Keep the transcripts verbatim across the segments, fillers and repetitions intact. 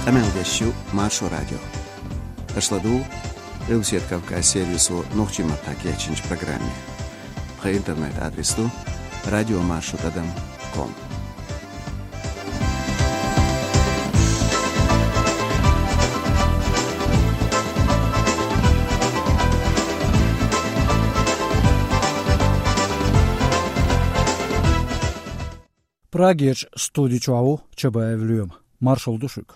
Къамел деш ю Маршо радио. Аша ладугӀу Къилбаседа Кавказ сервисо нохчийн маттахь кечйинчу программе. Тхан интернет-адрес ду радиомаршо тӀадам ком. Прагерчу студи чохь ву Чабаев Лоьма. Маршалла ду шуьга.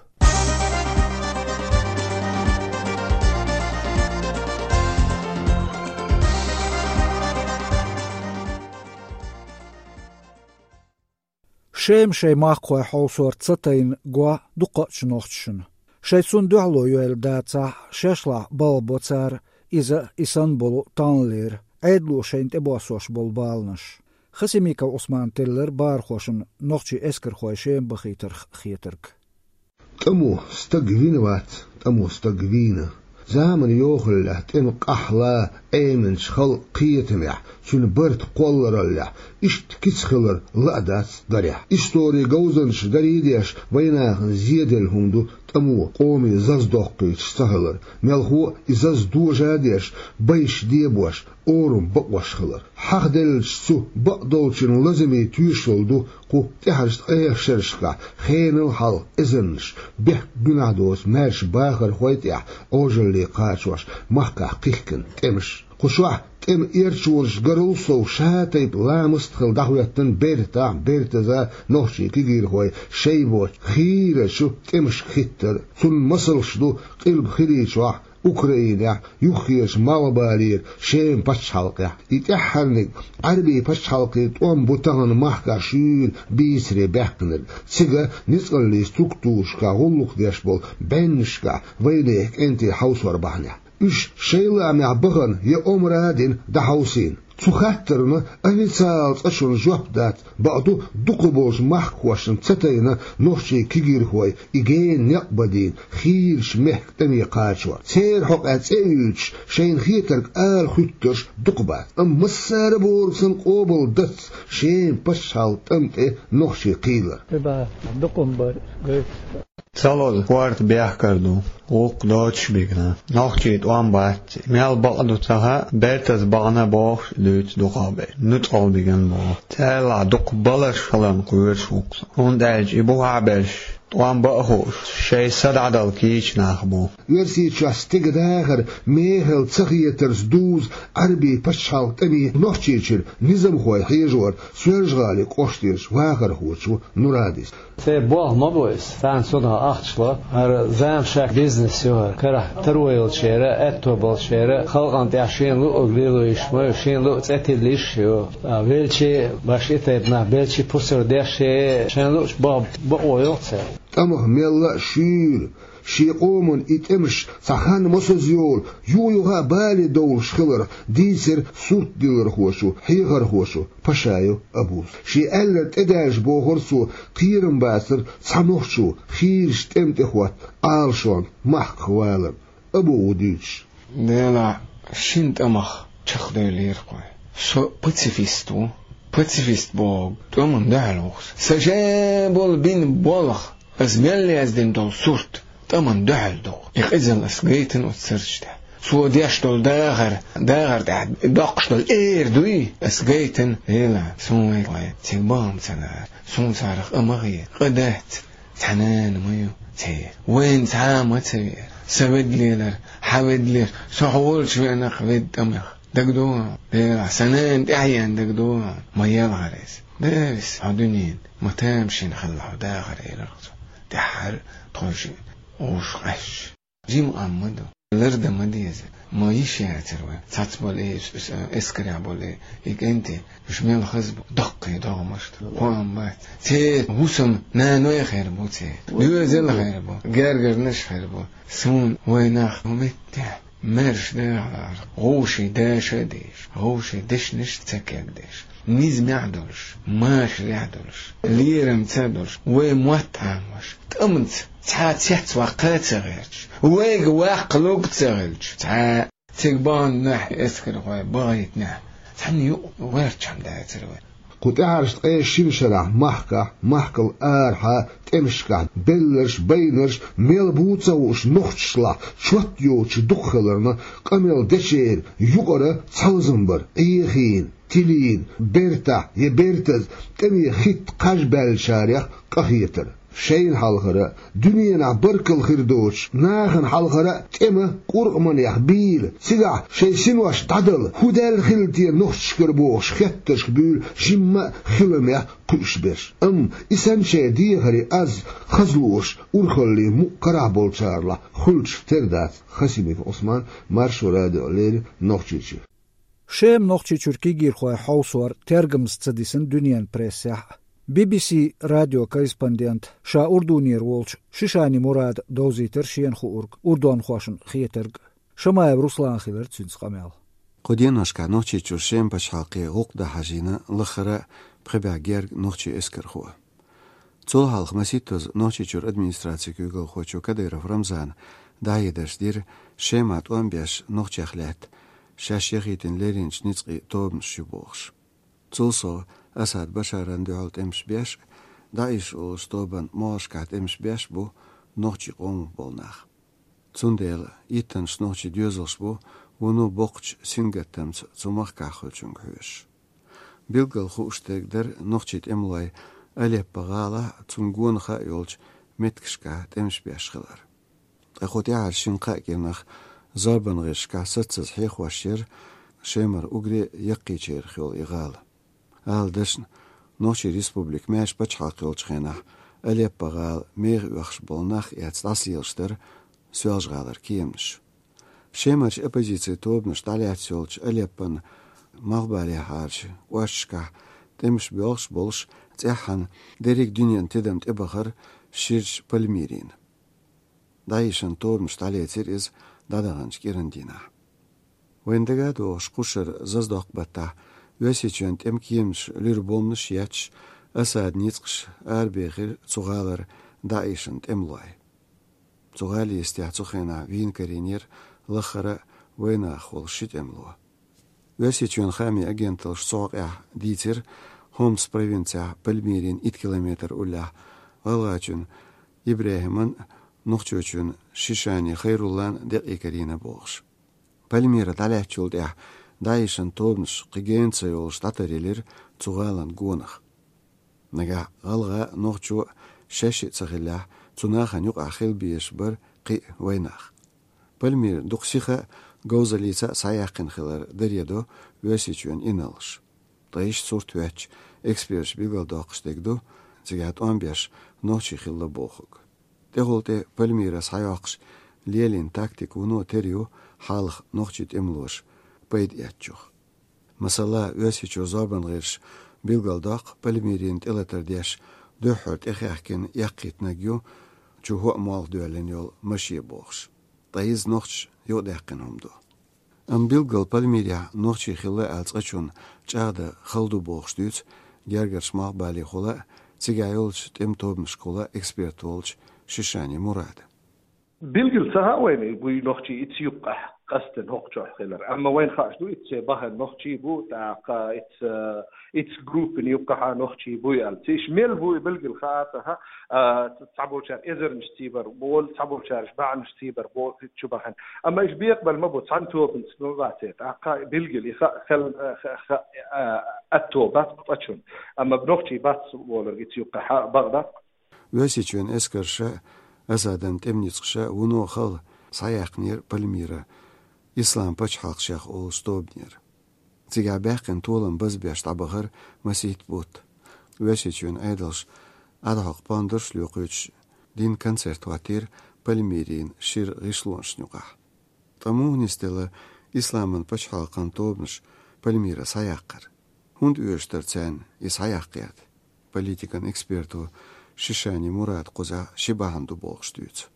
Шема шайн махкахой хьовсор ца тайна го дукхачу нохчашна. Шайн цунна дуьхьало йойла дацахь, шашлахь балха бо цара, иза а, и санна болу тӀанлера, Ӏедало шайна тӀебоссош болу баланаш. Хасимиков Ӏусмана теллира бахархошна нохчийн эскархой Шема бахийтарх хетарг. ТӀамо стаг вина вац, тӀамо стаг вийна. Заманан йохаллехь, тӀеман къахьлехь, Ӏеминчу халкъан кхетамехь, цуьнан барта кхоллараллехь, иштта кица хилар ла а дац дарехь. Историн говзанчаша дарий а деш, вайнахана зеделла хӀума ду тӀамо къоме заза доккхуьйтуш ца хилар, мелхо а и заза дожа а деш, байш дебош, орам бакъош хилар. Хьахделлачу цу бакъдолчун лазаме тоьшалла ду кху тӀаьхьарчу ткъех шерашкахь хенал хьалха эзарнаш бехк-гуьнахь доцу маьрша бахархой тӀехь Ӏожалле кхачош махкахь кхихкина тӀемаш. Кху шарахь тӀеман эрчонаш гарал сов ша тайпа ламаст а хилла дӀахӀоьттина бертахь, бертаза нохчийн кегийрхой шайн боцчу хийрачу тӀемашка хиттар. Цунна масалш ду Къилба ХирийчохӀь, Украинехь, юххерчу Малхбалера, Шеман пачхьалкхехь. И тӀаьххьарниг Ӏаьрбийн пачхьалкхийн тӀом бу тахана махкахь шуьйра бийцаре баьккхинарг. Цига ницкъаллин структурашкахь гӀуллакх деш болу бӀеннашкахь вайнехан кӀентий хьовсор бахьанехь. Уьш шайн лаамехь бахана я омра а дина дӀахьовсийна. Цу хаттарна официалан цӀа чуьра жоп дац, бакъду, дукхахболчу махкахошна ца тайна нохчийн кегийрхой и гена некъ бадийна, хийрачу мехкан тӀаме кхачор. Церан хьокъехь цӀе а уьйцуш, шайна хетарг ала хӀуьттурш дукха бац. Амма массара а бохург санна къобал дац Шеман пачхьалкхан тӀам тӀе нохчийн кхийлар. Дукха ма бара, гойту. Ца лозу, корта бехкар ду, гӀуллакх доцуш бигна. Нохчийн тӀом бац, мел бакъ ду ца хаьа, бертаза бахана бохуш дуьйцу дукхахберш. Нуьцкъала бигна боху. Царалахь дукха баларш хиларна кхоьруш ву-кх со. ХӀунда аьлча и бухахь берш, тӀом бан а хууш, шайн са дӀадала кийча нах бу. Оьрсийчохь стеган дахар мехала ца хетарца дузу Ӏаьрбийн пачхьалкхан тӀаме Нохчийчуьра низамхой хьежор Соьлжа-ГӀалин кӀоштарчу вахархочо Нурадис. Церан болх ма бу иза. Царна цунах ахча, хӀара заманан бизнес ю хӀара. Карахь таро йолчеран, аьтто болчеран халкъана тӀехь шена луъург лело йиш ма ю, шена луъу цӀе тилла йиш ю. А, велча а, башха и тайпанах, белча а пусар деш а, шайна луъучу бакъо йо-кх церан. ТӀамах мелла а шуьйра, шен къоман и тӀемаш цхьа хан мосазза йолу, юха-юха а бале довлуш хиларх дийцира суртдиллархочо, хьехархочо Пашаев Абуза. Шен аьлларг тӀедаьлча, бохура цо, кхерам бацара цхьа нохчо хийрачу тӀеман тӀе хӀотта Ӏалашонна махках валарна. Абу ву дуьйцуш. Делахь шина тӀамах чекхдевллера-кх вай. Со пацифист ву. Пацифист бохург тӀамна дуьхьал ву-кх со. Сан ша болу бина болх, ас мел яздина долу сурт тӀамна дуьхьал ду-кх. И къизалла ас гайтина оцу сурташ тӀехь. Цо деш долу дахар, дахар тӀехь доккхуш долу эр дуй, ас гайтина, Дела, суна вай, вай цига бахам ца лара, суна царах къа ма хета, къа дац. Цхьа нана ма ю церан. Вайна цхьа а ма ца веара. Сан ведда лелар, хьан ведда лелар, со хьо волчу веана-кх ведда тӀамах. ДагадогӀу хьуна, Дела, сан нана тӀаьхьенна дагадогӀу хьуна, ма елхара иза. Деррис хьо дуьненан ма тамашийна хилла хьо дахар, элира-кх цо. ТӀаьххьара тхойшиъ гӀуш къаьсташ. Жима къам ма ду. Лардан ма деза. Ма йиш яцара вай. Цхьацца болу и, эскарехь болу и кӀентий, уьш мел хаза бу. Даккхий догӀмашна. Кхоам бац. Церан хӀусамнаной хир бу церан. Доьзал хир бу. Гергарнаш хир бу. Суна вай нах хӀун меттехь маьрша дахар, вовшийн дашо а деш, вовшийн дешнаш а ца кегдеш. Низамехь долуш, машарехь долуш, лерамца а долуш, вай мотт Ӏамош, тӀамца цхьа а цецваккха а ца гӀерташ, вайга ваккхалург а ца хилча, цхьа а цига баханехь, эскархой бахийтинехь, цхьанна юкъа гӀерташ хӀума дацара вай. Кху тӀаьхьарчу ткъе шина шарахь махкахь, махкал арахьа тӀемашкахь белларш, байнарш мел бу ца хууш нохчашлахь чот йоцуш дукха хиларна, къамел дечеран юкъара цхьалзам бара: Ӏехийна, тилийна, бертахь я бертаза тӀеме хӀитта кхаж баьллачарех къахетар. Шайна хьалхара, дуьненахь баркалла хир доцуш, нахана хьалхара тӀема къуркъаманех бийла, цигахь шайн синош дӀадала, хӀун даьлла хилла те нохчашкара бохуш хеттаршка буьйлу жимма а хиламех кхуьуш берш. Амма и санна шайн дехаре аз хазлуш урхаллин мукъа карахь болчарлахь хуьлуш тера дац. Хасимиков Ӏусман, Маршо радио, леррина Нохчийчуьра. Шема Нохчийчуьра кегийрхой хьовсор тергамца ца дисина дуьненан прессехь а. Би-би-си радион корреспондент ша Урдунера волчу Шишани Мурада довзийтира шена хуург, урдонхошна хетарг. Шамаев Руслана хилира цуьнца къамел. Кху деношкахь Нохчийчуьра Шема пачхьалкхе гӀуллакх дан хьажийна лахара а пхи бӀе герга нохчийн эскархо. Цул хьалха масийттаза Нохчийчуьра администрацин куьйгалхочо Кадыров Рамзана дӀахьедарш дира Шемахь тӀом беш нохчех лаьтта шаьш яхийтина лерринчу ницкъийн тобанаш ю бохуш. Цул сов Асад Башарна дуьхьал тӀемаш беш а, ДаӀиш олучу тобанна могӀаршкахь тӀемаш беш а бу нохчийн къомах болу нах. Цундела иттаннаш нохчийн доьзалш бу вуно боккхачу сингаттамца цу махкахь хуьлучуьнга хьоьжуш. Билггал хууш дерг дара нохчийн тӀемалойн Алеппо-гӀалахь а, цунна гонах а йолчу меттигашкахь тӀемаш беш хилар. Ткъа кху тӀаьхьарчу шина-кхаа кӀирнах зорбанан гӀирсашкахь саццаза хьехош яра Шемара уггаре а яккхийчарах йолу и гӀала. Ала дашна, Нохчийн республика маьрша пачхьалкх йолчу хенахь Алеппо-гӀала меха оьхуш болу нах а эцна дӀасалелаш дара Соьлжа-ГӀалара кеманаш. Шемарчу оппозицин тобанаш дӀалаьцна йолчу Алеппон малхбалехьарчу кӀошташкахь тӀемаш боьлхуш болуш, цӀеххьана дерриг дуьненан тидам тӀебахара ширачу Пальмирина. ДаӀишан тобанаш дӀалецира иза дӀадаханчу кӀиран дийнахь. Вайна дагадогӀуш, кху шарахь зазадоккху баттахь Оьрсийчоьнан тӀеман кеманаш луьра бомбанаш а етташ, Асадан ницкъаша арабехира цу гӀалара ДаӀишан тӀемалой. Цу гӀалин йистехь цу хенахь вийна карийнера лахара а вайнах волу ши тӀемало. Оьрсийчоьнан хаамийн агенталлаш цу хьокъехь дийцира Хомс провинцехь Пальмирина итт километр уллехь гӀалгӀачун ИбрахӀиман а, нохчочун Шишани Хайруллан а декъий карийна бохуш. Пальмира дӀалаьцначул тӀаьхьа ДаӀишан тобанаш кхин гена ца йолуш дӀатаръелира цу гӀалан гонах. Нагахь гӀалгӀа а, нохчо а шаьш а ца хиллехь, цу нахана юкъахь хила безаш бара кхин а вайнах. Пальмира дукха сиха а, говзаллица а схьаяьккхина хилар даре до Оьрсийчоьнан инарлаша. Ткъа иштта сурт хӀоьттича, эксперташа билгалдоккхуш дерг ду цигахь тӀом беш нохчий хилла бохург. ТӀехула тӀе Пальмира схьайоккхуш лелийна тактика вуно тера ю хьалха нохчийн тӀемалоша пайда эцначух. Масала, Оьрсийчоьнан зорбанан гӀирсаша билгалдоккху Пальмирина тӀелатар деш дуьххьара тӀехаьхкина эккхийтинарг ю чу хӀоъ молха доьллина йолу машен бохуш. Ткъа иза нохчаша юкъадаьккхина хӀума ду. Амма билггал Пальмирехь нохчий хилла аьлла цкъачунна чӀагӀдан хала ду бохуш дуьйцу гергарчу малхбалехула а, цигахь йолчу тӀеман тобанашкахула а эксперт волчу Шишани Мурада. Билггал ца хаьа вайна, буй нохчий ица юккъехь къастина хӀокху чохь хилар. Амма вайна хууш ду, ица бахана нохчий бу, тӀаккха ица, ица группина юккъехьа нохчий буй аьлла. Циш мел буй билггал хаьа ца хаьа, а, цхьаболчара эзарнаш цийбар болу, цхьаболчара бӀеннаш цийбар болу чу бахана. Амма иша бекъабала ма бу, цхьана тобанца ма бацара. ТӀаккха билггал и хаа хел, а, ха-, ха-, а, атто бац цкъачунна. Амма нохчий бац болург ица юккъехьа бакъ дац. Оьрсийчоьнан эскарша а, Асадан тӀеман ницкъаша а вуно хала схьаяьккхинера Пальмира Ислам пачхьалкх шех олучу тобанера. Цигахь баьккхина толам базбеш дӀабахара масийтта бутт. Оьрсийчоьнан Ӏедалша Ӏадхьокху пондарш а лоькхуьйтуш, дина концерт хӀоттийра Пальмирина шира гӀишлонашна юкъахь. Ткъа муха нисделла Исламан пачхьалкхан тобанаш Пальмира схьаяккхар? ХӀунда оьшуш дара царна и схьаяккха гӀерта? Политикан эксперто Шишани Мурада кхузахь ши бахьана ду бохуш дуьйцу.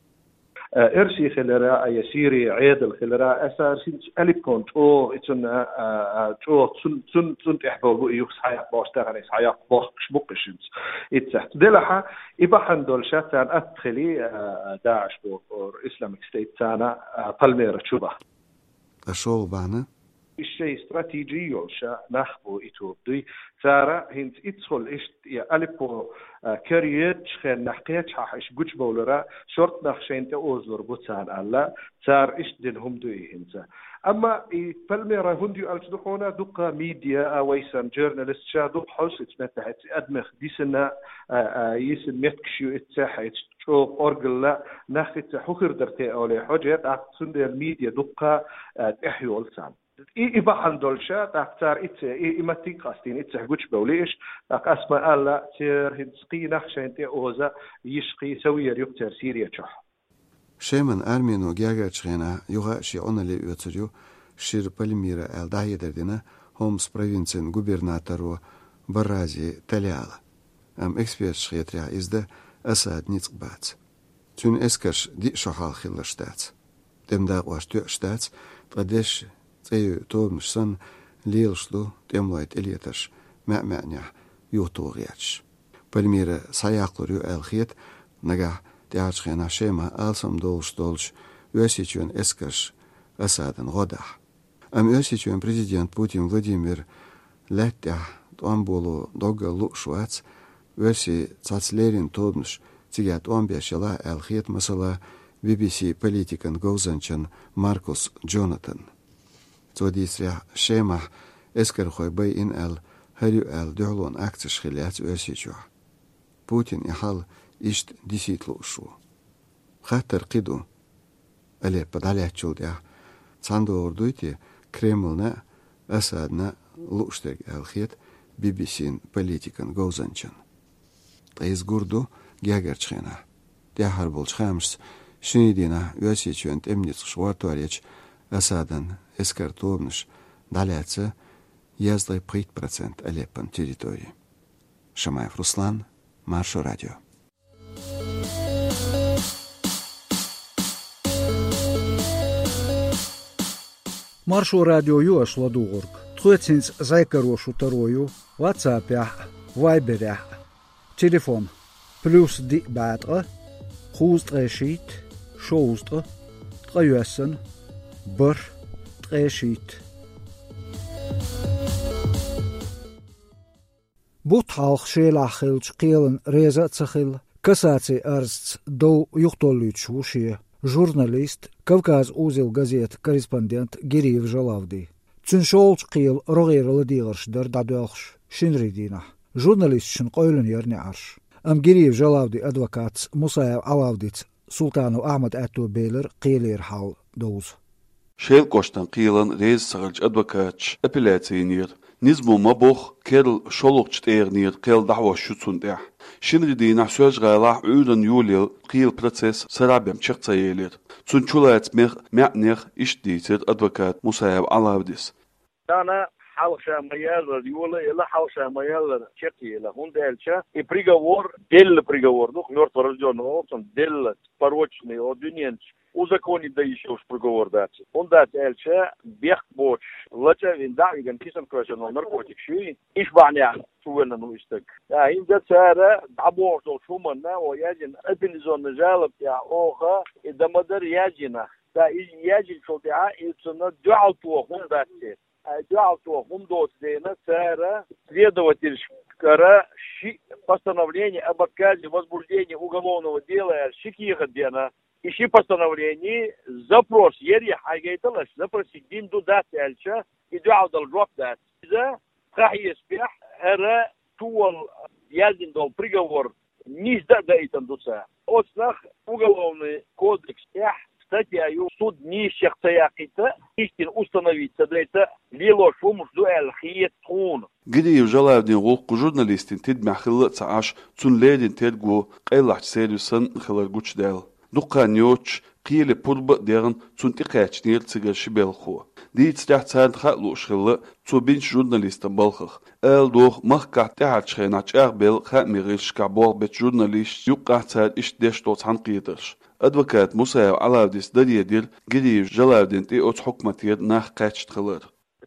Э, Эрси хилира, а, я Сири Ӏедал хилира, аса синца Алиппон чӀогӀа, и цунна, а, а, чӀогӀа цун, цун, цун тӀехь болу бу и юха схьаяккха бохуш, тахана и схьаяккха бохкуш бу-кх и шинца. Иццехь. Делахьа, и бахьана долуш царна атта хили, а, а, ДаӀиш боху, Islamic State царна, а, Пальмира чу баха. Ткъа шолгӀа бахьана? Ишшей стратеги йолуш нах бу и тоба дуй. Цара хӀинца иццахула иштта и Алеппо, а, кара йоьдучу хеннахь кхечахьа иш гучубовлара, шорта нах шайна тӀе озалур бу царна аьлла, цара иштта дина хӀума ду и хӀинца. Амма и Пальмира хӀунда ю аьлча ду хьуна, дуккха медиа, а, вай санна журналист ша дукха хьовсуьйту меттехь эцу адамех дисина, а, а, йисина меттигаш ю эццехь, эцу чӀогӀа оргала нах эццехь хӀу хир дара те олий хьожа, тӀаккха цундела медиа дуккха, а, тӀехь йолу царна. И, и бахьана долуша, тӀаккха цара ицца, и, и маттиг къастийна, иццехь гучубевлла иш, тӀаккха ас ма аьлла, церан хӀинца кхин нах шайна тӀе оза йиш кхин ца вер юкъа церан Сири чохь. Шеман армино гергарчу хенахь юха а шен Ӏуналле оьцур ю, шира Пальмира аьлла дӀахьедар дина Хомс провинцин губернаторо Баррази Талиала. Амма эксперташа хетарехь, иза дан Асадан ницкъ бац. Цуьнан эскарш диъ шо хьалха хилларш дац. ТӀеман дакъош тоьуш дац, ткъа дешан цӀе йойу тобанаш санна, лелаш ду тӀемалойн тӀелетарш маьӀ-маьӀнехь юхатоха гӀерташ. Пальмира схьаяккхалур ю аьлла хета, нагахь тӀаьхьарчу хенахь Шемахь алсамдолуш долчу Оьрсийчоьнан эскарша Асадана гӀо дахь. Амма Оьрсийчоьнан президент Путин Владимир лаьтта тӀехь тӀом боло доггал лууш вац, оьрсийн цхьацца леррина тобанаш цигахь тӀом беш елахь аьлла хета, масала, Би-би-си политикан говзанчан Маркус Джонатан. Цо дийцарехь, Шемахь эскархой байина аьлла, хӀара ю аьлла дуьхьалонан акцеш хилла яц Оьрсийчохь. Путина и хьал иштта дисийта лууш ву. Хаттар кхин ду: Алеппо дӀалаьцначул тӀаьхьа цхьаьна догӀур дуй те Кремлна а, Асадна а лууш дерг аьлла хета Би-би-син политикан говзанчан. Ткъа иза гур ду гергарчу хенахь. ТӀаьххьара болчу хаамашца, шинарин дийнахь Оьрсийчоьнан тӀеман ницкъаша гӀортор ечу Асадан эскаран тобанаша дӀалаьцна езткъе пхийтта процент Алеппон территори. Шамаев Руслан, Маршо радио. Маршо радио ю аша ладугӀург. Тхоьца хӀинца зӀе каро шун таро ю WhatsApp-ехь а, Viber-ехь а. Телефон: плюс диъ бӀе ткъа, кхузткъе шийтта, шовзткъа, ткъе йоьссана, бархӀ, ткъе шийтта. Бутт хьалха Шелахь хиллачу кхелана реза а ца хилла, кассацин арзца дов юхатоллуьйтуш ву шен журналист, Кавказ-Узел газетан корреспондент Гириев Жалавди. Цуьнан шолгӀачу кхелан рогӀера ладегӀарш дара дӀадоьлхуш шинарин дийнахь. Журналисташна къевлина яра неӀарш. Амма Гириев Жалавдин адвокатца Мусаев Ӏалавдица Султанов Ахьмада аьтто белира кхелера хьал довза. Шелан кӀоштан кхелана реза ца хиллачу адвокаташа апелляци йинера. Низамо ма-бохху, керла шолгӀачу тӀегӀанера кхел дӀахьош ю цунна тӀехь. Шинарин дийнахь Соьлжа-ГӀалахь Ӏуьйранна йолаелла кхелан процесс сарахь бен чекх ца елира. Цунна чулацамех а, маьӀнех а иштта дийцира адвоката Мусаев Ӏалавдис. Тахана хьалха ша ма-яллара йола а елла, хьалха ша ма-яллара чекх а елла, хӀунда аьлча и приговор, делла приговор ду, мёртворождённый олу цунна, делла, порочный, обвиненча, узаконить дан йиш йолуш приговор дац. ХӀунда дац аьлча, бехк боцуш, лачкъа а вина, дӀа а вигна, кисана кхоьссина наркотикаш юй, иштта бахьанехь чувеллина ву и стаг. ТӀаккха хӀинца цара дӀабохуш долчу хӀуманна, о, яздина апелляционный жалоба тӀехь оха и дан ма-дарра яздина. ТӀаккха и яздинчул тӀаьхьа и цунна дуьхьал тоха хӀума дац те. Ай, дуьхьал тоха хӀума доцу дела, цара следовательшкара ши постановление об отказе в возбуждении уголовного дела аьлла ши кехат деана. И ши постановление запрос яра, хьайгайталаш, запросик дина ду, дац аьлча, и дуьхьал дала жоп дац. Иза тхан хьесапехь хӀара чуволу яздина долу приговор нийса дан а даийтина ду цара. Оцунах Уголовный кодекс тӀехь статья ю, суд нийса чекх ца яккхийта, истина установить ца дайта лелош хӀумаш ду аьлла хета тхуна. Гириев Жалавдин гӀуллакх журналистийн тидамехь хилла а ца Ӏаш, цунна леррина терго къайлахчу сервисан хилар гучудаьлла. Дукха хан йоцуш, кхеле пурба а дехна, цунна тӀекхаьчнера цигара ши белхахо. Дийцарехь, царна хаа лууш хилла цо бинчу журналистан балхах. Ала догӀу, махкахь тӀаьхьарчу хенахь чӀагӀбелла хаамийн гӀирсашкахь болх бечу журналисташца юккъехь цара иштта деш долу цхьаьнакхетарш. Адвоката Мусаев Ӏалавдис даре дира Гириев Жалавдина тӀе оцу хьукматера нах кхаьчна хилар.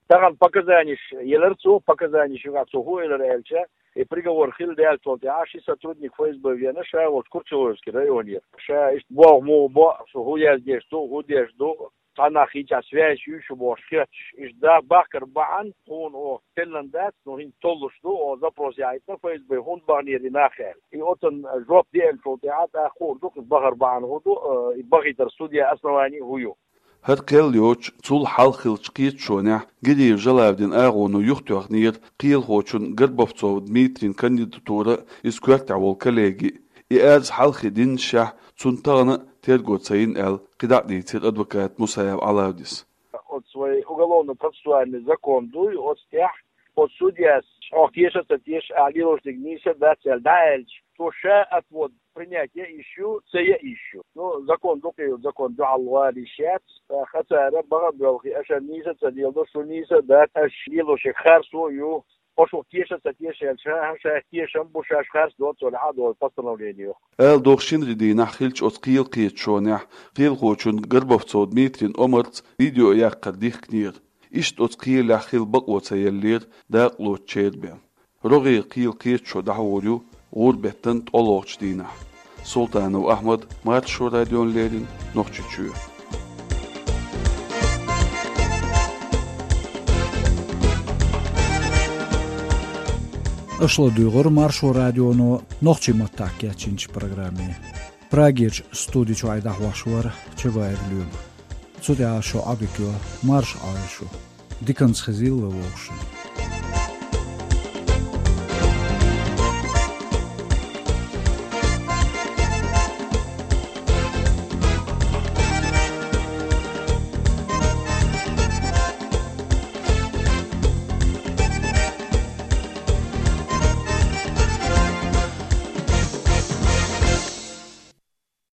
Тахана показанеш елира цо, показанеш юкъахь цо хӀун элира аьлча, и приговор хилла даьллачул тӀаьхьа ши сотрудник ФСБ веана, ша волчу Курчалойский районера. Ша иштта болх муха бо, со хӀун яздеш ду, хӀун деш ду, Хьанах хинча связь ю шу бохуш хеташ. Иштта да бахкар бахьана, хьуна оха теллан дац, но хӀинца толлуш ду, оха запрос яхьийтина ФСБ, хӀунда баханера и нах аьлла. И оцун жоп деанчул тӀаьхьа тӀаккха хуур ду, и бахар бахьана хӀун ду, э, и бахийтар судья основание хӀун ю. ХӀара кхел йоцуш, цул хьалха хиллачу кхеташонехь Гириев Жалавдин агӀоно юхатоьхнера кхелахочун Горбовцов Дмитрин кандидатура а, иза коьртехь волу коллеги а. И арз хьалхе диннашехь, цунна тахана а терго ца йина аьлла, кхидӀа а дийцира адвокат Мусаев Ӏалавдис. Оцу вай уголовно-процессуальный закон дуй, оцу тӀехь, оцу судьяс хьох теша а ца теша, ахь лелош дерг нийса а дац аьлла дӀааьлча, цо ша отвод принять ян йиш ю, ца ян йиш ю. Ну, закон дукха ю, закон дуьхьал вала йиш яц. ТӀаккха цара баха а боьлхий, аша нийса а ца леладо, шу нийса а дац, аша лелош ерг харцо а ю. Хьо шух теша а ца теша аьлча, ша, ша тешам бу, шаьш харц доцу, цо лаьхьа а долу постановление ю. Ала догӀу, шинарин дийнахь хиллачу оцу кхелан кхеташонехь кхелахочун Горбовцов Дмитрин омарца видео яккхар дихкинера. Иштта оцу кхелехь хила бакъо ца еллера дакъалоцучеран бен. РогӀера кхелан кхеташо дӀахьур ю гӀуран беттан ткъолгӀачу дийнахь. Султанов Ахьмад, Маршо радиона леррина, Нохчийчоь. Аша ладуьйгӀира Маршо радионо нохчийн маттахь кечйинчу программе. Прагерчу студи чуьра дӀахьош вара Чабаев Лоьма. Цу тӀехь шун Ӏадика йо, марша Ӏойла шу. Диканца хезийла вай вовшашна.